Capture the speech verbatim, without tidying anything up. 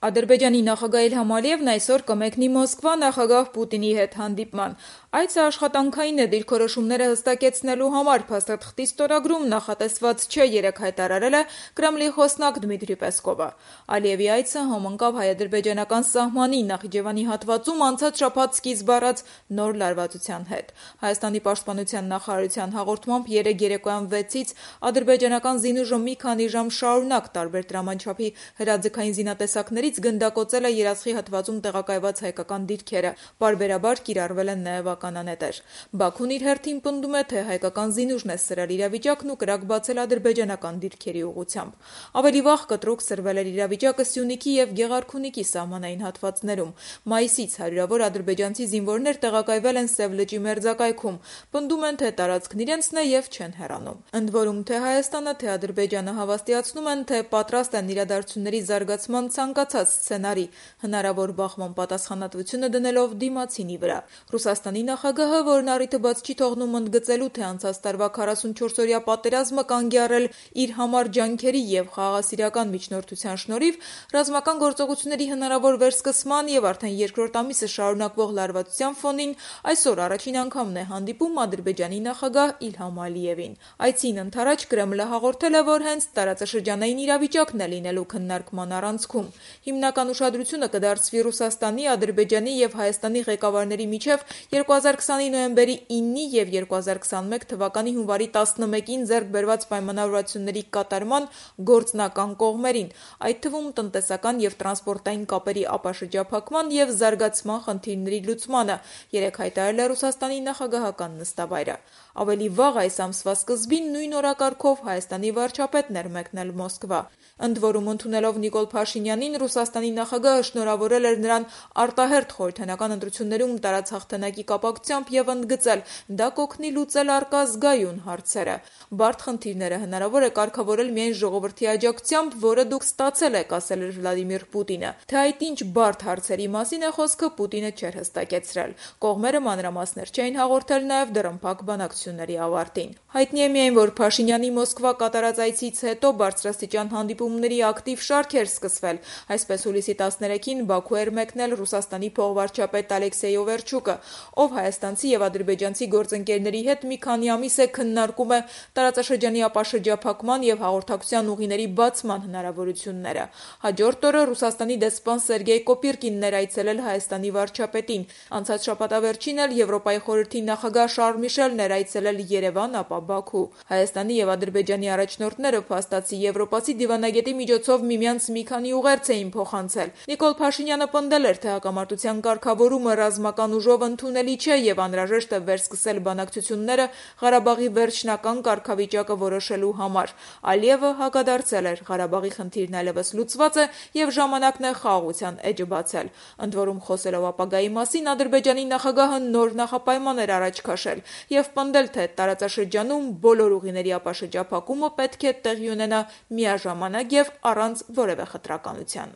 Ադրբեջանի նախագահ Իլհամ Ալիևն այսօր կմեկնի Մոսկվա նախագահ Պուտինի հետ հանդիպման։ Այցը աշխատանքային է դիրքորոշումները հստակեցնելու համար, փաստաթղթի ստորագրում նախատեսված չէ, երեկ հայտարարել է Կրեմլի խոսնակ Դմիտրի Պեսկովը։ Ալիևի այցը համընկավ հայ-ադրբեջանական սահմանի Նախիջևանի հատվածում անցած շաբաթ սկիզբ առած նոր լարվածության հետ։ Հայաստանի պաշտպանության նախարարության հաղորդմամբ երեկ երեկոյան վեցից ադրբեջանական զինուժը մի քանի ժամ շարունակ տարբեր տրամանչափի հրաձգային զինատեսակներից գնդակոծել է երացխի հատվածում տեղակայված հայկական դիրքերը, պարբերաբար կիրառվել են նաև ականանետեր։ Բաքուն իր հերթին պնդում է, թե հայկական զինուժն է սրել իրավիճակն ու կրակ բացել ադրբեջանական դիրքերի ուղղությամբ։ Ավելի վաղ կտրուկ սրվել էր իրավիճակը Սյունիքի և Գեղարքունիքի սահմանային հատվածներում։ Մայիսից հարյուրավոր ադրբեջանցի զինվորներ տեղակայվել են Սև լճի մերձակայքում, պնդում են, թե տարածքն իրենցն է և չեն հեռանում։ Ընդ որում, թե Հայաստանը, թե Ադրբեջանը հավաստիացնում են, թե պատրաստ են իրադարձությունների զարգացման ցանկացած սցենարի հնարավոր բախման պատասխանատվությունը դնելով դիմացինի վրա։ Ռուսաստանի նախագահը, որն առիթը բաց չի թողնում ընդգծելու, թե անցած տարվա քառասունչորսօրյա պատերազմը կանգ է առել իր համար ջանքերի և խաղաղասիրական միջնորդության շնորհիվ, ռազմական գործողությունների հնարավոր վերսկսման և արդեն երկրորդ ամիսը շարունակվող լարվածության ֆոնին այսօր առաջին անգամն է հանդիպում Ադրբեջանի նախագահ Իլհամ Ալիևին։ Այցին ընդառաջ Կրեմլը հաղորդել է, որ հենց տարածաշրջանային իրավիճակն է լինելու քննարկման առանցքում։ Հիմնական ուշադրությունը կդարձվի Ռուսաստանի, Ադրբեջանի և Հայաստանի ղեկավարների միջև երկու հազար քսանի նոյեմբերի իննի և երկու հազար քսանմեկ թվականի հունվարի տասնմեկին ձեռք բերված պայմանավորվածությունների կատարման գործնական կողմերին, այդ թվում տնտեսական և տրանսպորտային կապերի ապաշրջափակման և զարգացման խնդիրների լուծմանը, երեկ հայտարարել է Ռուսաստանի նախագահական նստավայրը։ Ավելի վաղ այս ամսվա սկզբին նույն օրակարգով Հայաստանի վարչապետն էր մեկնել Մոսկվա։ Ընդ որում, ընդունելով Նիկոլ Փաշինյանին, Ռուսաստանի նախագահը շնորհավորել էր նրան արտահերթ խորհրդարանական ընտրություններում տարած հաղթանակի կապակցությամբ և ընդգծել՝ դա կօգնի լուծել առկա զգայուն հարցերը։ Բարդ խնդիրները հնարավոր է կարգավորել միայն ժողովրդի աջակցությամբ, որը դուք ստացել եք, ասել էր Վլադիմիր Պուտինը։ Թե այդ ինչ բարդ հարցերի մասին է խոսքը, Պուտինը չէր հստակեցրել։ Կողմերը մանրամասներ չէին հաղորդել նաև դռնփակ բանակցությունների ավարտին։ Հայտնի է միայն, որ Փաշինյանի Մոսկվա կատարած այցից հետո բարձրաստիճան հանդիպումների ակտիվ շարք էր սկսվել։ Այսպես հուլիսի տասներեքին Բաքու էր մեկնել Ռուսաստանի փոխվարչապետ Ալեքսեյ Օվերչուկը, ով հայաստանցի և ադրբեջանցի գործընկերների հետ մի քանի ամիս է քննարկում է տարածաշրջանի ապաշրջափակման և հաղորդակցության ուղիների բացման հնարավորությունները։ Հաջորդ օրը Ռուսաստանի դեսպան Սերգեյ Կոպիրկինն էր այցելել Հայաստանի վարչապետին։ Անցած շաբաթավերջին էլ Եվրոպայի խորհրդի նախագահ Շարլ Միշելն էր այցելել Երևան, ապա Բաքու։ Հայաստանի և Ադրբեջանի առաջնորդները փաստացի եվրոպացի դիվանագետի միջոցով միմյանց մի քանի ուղերձ էին փոխանցել։ Նիկոլ Փաշինյանը պնդել էր, թե հակամարտության կարգավորումը ռազմական ուժով ընդունելի չէ և անհրաժեշտ է վերսկսել բանակցությունները Ղարաբաղի վերջնական կարգավիճակը որոշելու համար։ Ալիևը հակադարձել էր՝ Ղարաբաղի խնդիրն այլևս լուծված է և ժամանակն է խաղաղության էջը բացել։ Ընդ որում, խոսելով ապագայի մասին, Ադրբեջանի նախագահը նոր նախապայման էր առաջ քաշել և պնդել, թե տարածաշրջանում բոլոր ուղիների ապաշրջափակումը պետք է տեղի ունենա միաժամանակ և առանց որևէ խտրականության։